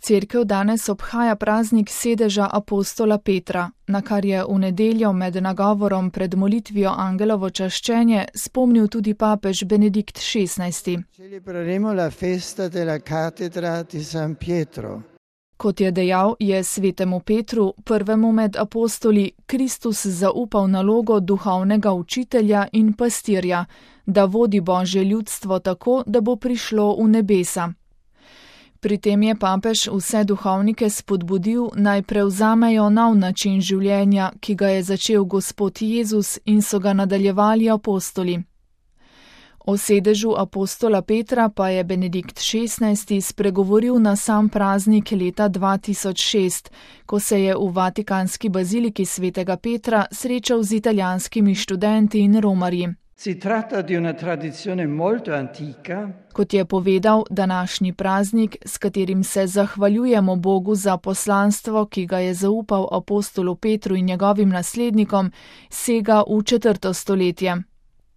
Cerkev danes obhaja praznik sedeža apostola Petra, na kar je v nedeljo med nagovorom pred molitvijo angelovo čaščenje spomnil tudi papež Benedikt XVI. Celebreremo la festa della cattedra di San Pietro. Kot je dejal, je svetemu Petru, prvemu med apostoli, Kristus zaupal nalogo duhovnega učitelja in pastirja, da vodi Božje ljudstvo tako, da bo prišlo v nebesa. Pri tem je papež vse duhovnike spodbudil, naj prevzamejo nov način življenja, ki ga je začel Gospod Jezus in so ga nadaljevali apostoli. O sedežu apostola Petra pa je Benedikt XVI. Spregovoril na sam praznik leta 2006, ko se je v Vatikanski baziliki svetega Petra srečal z italijanskimi študenti in romarji. Si tratta di una tradizione molto antica. Kot je povedal, današnji praznik, s katerim se zahvaljujemo Bogu za poslanstvo, ki ga je zaupal apostolu Petru in njegovim naslednikom, sega v 4. stoletje.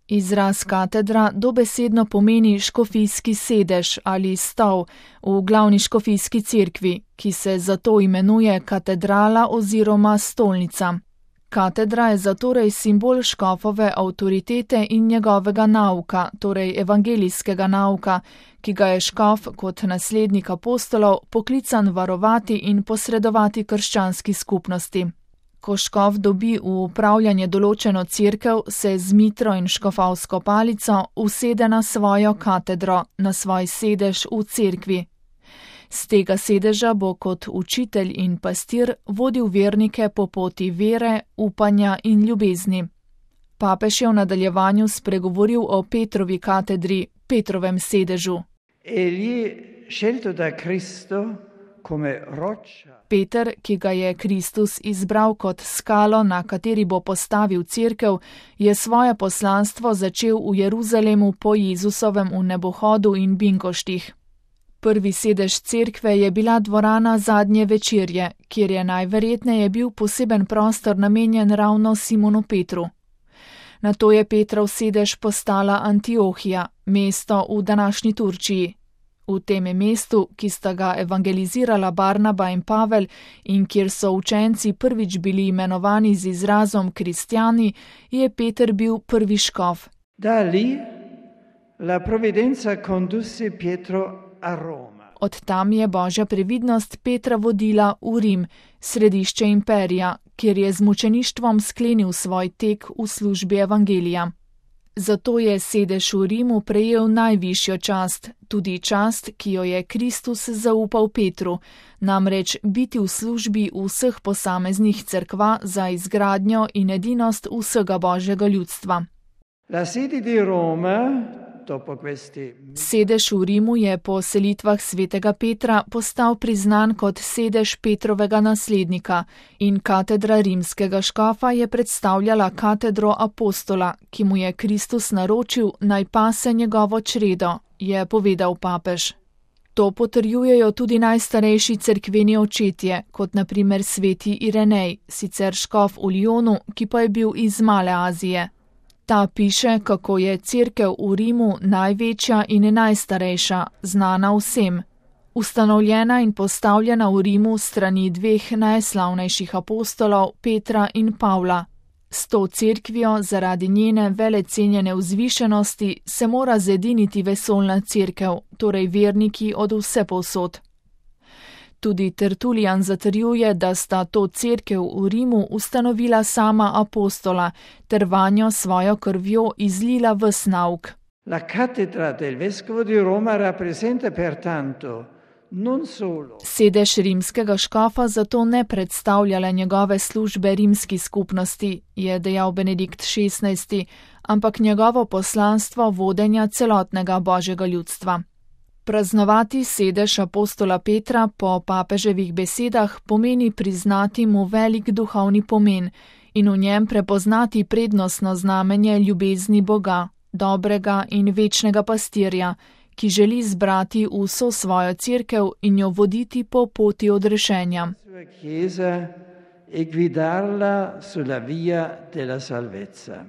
Izraz katedra dobesedno pomeni škofijski sedež ali stol v glavni škofijski cerkvi, ki se zato imenuje katedrala oziroma stolnica. Katedra je zatorej simbol škofove avtoritete in njegovega nauka, torej evangelijskega nauka, ki ga je škof kot naslednik apostolov poklican varovati in posredovati krščanski skupnosti. Ko škof dobi v upravljanje določeno cerkev, se z mitro in škofovsko palico usede na svojo katedro, na svoj sedež v cerkvi. Z tega sedeža bo kot učitelj in pastir vodil vernike po poti vere, upanja in ljubezni. Papež je v nadaljevanju spregovoril o Petrovi katedri, Petrovem sedežu. Peter, ki ga je Kristus izbral kot skalo, na kateri bo postavil cerkev, je svoje poslanstvo začel v Jeruzalemu po Jezusovem vnebohodu in binkoštih. Prvi sedež cerkve je bila dvorana zadnje večerje, kjer je najverjetneje bil poseben prostor namenjen ravno Simonu Petru. Nato je Petrov sedež postala Antiohija, mesto v današnji Turčiji. V tem mestu, ki sta ga evangelizirala Barnaba in Pavel in kjer so učenci prvič bili imenovani z izrazom kristjani, je Peter bil prvi škof. Da lì la provvidenza condusse Pietro a Roma. Od tam je Božja previdnost Petra vodila v Rim, središče imperija, kjer je z mučeništvom sklenil svoj tek v službi evangelija. Zato je sedež v Rimu prejel najvišjo čast, tudi čast, ki jo je Kristus zaupal Petru, namreč biti v službi vseh posameznih cerkva za izgradnjo in edinost vsega Božjega ljudstva. La sede di Roma. Sedež v Rimu je po selitvah svetega Petra postal priznan kot sedež Petrovega naslednika in katedra rimskega škofa je predstavljala katedro apostola, ki mu je Kristus naročil, naj pase njegovo čredo, je povedal papež. To potrjujejo tudi najstarejši cerkveni očetje, kot na primer sveti Irenej, sicer škof v Lyonu, ki pa je bil iz Male Azije. Ta piše, kako je cerkev v Rimu največja in najstarejša, znana vsem. Ustanovljena in postavljena v Rimu strani dveh najslavnejših apostolov, Petra in Pavla. S to cerkvijo, zaradi njene velecenjene vzvišenosti, se mora zediniti vesoljna cerkev, torej verniki od vsepovsod. Tudi Tertulijan zatrjuje, da sta to cerkev v Rimu ustanovila sama apostola, ter vanjo svojo krvjo izlila ves nauk. La cattedra del vescovo di Roma rappresenta pertanto non solo. Sedež rimskega škofa zato ne predstavljala njegove službe rimski skupnosti, je dejal Benedikt XVI, ampak njegovo poslanstvo vodenja celotnega Božjega ljudstva. Praznovati sedež apostola Petra po papeževih besedah pomeni priznati mu velik duhovni pomen in v njem prepoznati prednostno znamenje ljubezni Boga, dobrega in večnega pastirja, ki želi zbrati vso svojo cerkev in jo voditi po poti odrešenja. E guidarla sulla via della salvezza.